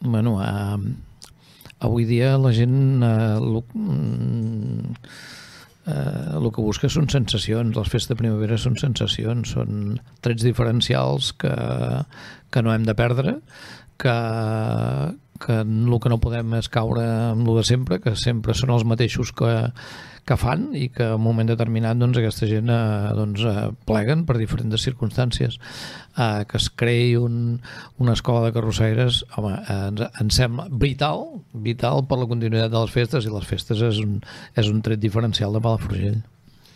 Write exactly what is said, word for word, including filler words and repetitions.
bueno, eh, avui dia la gent eh, el, eh, el que busca són sensacions. Les festes de primavera són sensacions, són trets diferencials que, que no hem de perdre, que, que el que no podem és caure amb el de sempre, que sempre són els mateixos que, que fan i que en un moment determinat doncs, aquesta gent eh, doncs, eh, pleguen per diferents circumstàncies. Eh, que es creï un, una escola de carrossaires, home, eh, ens, ens sembla vital, vital per la continuïtat de les festes, i les festes és un, és un tret diferencial de Palafrugell.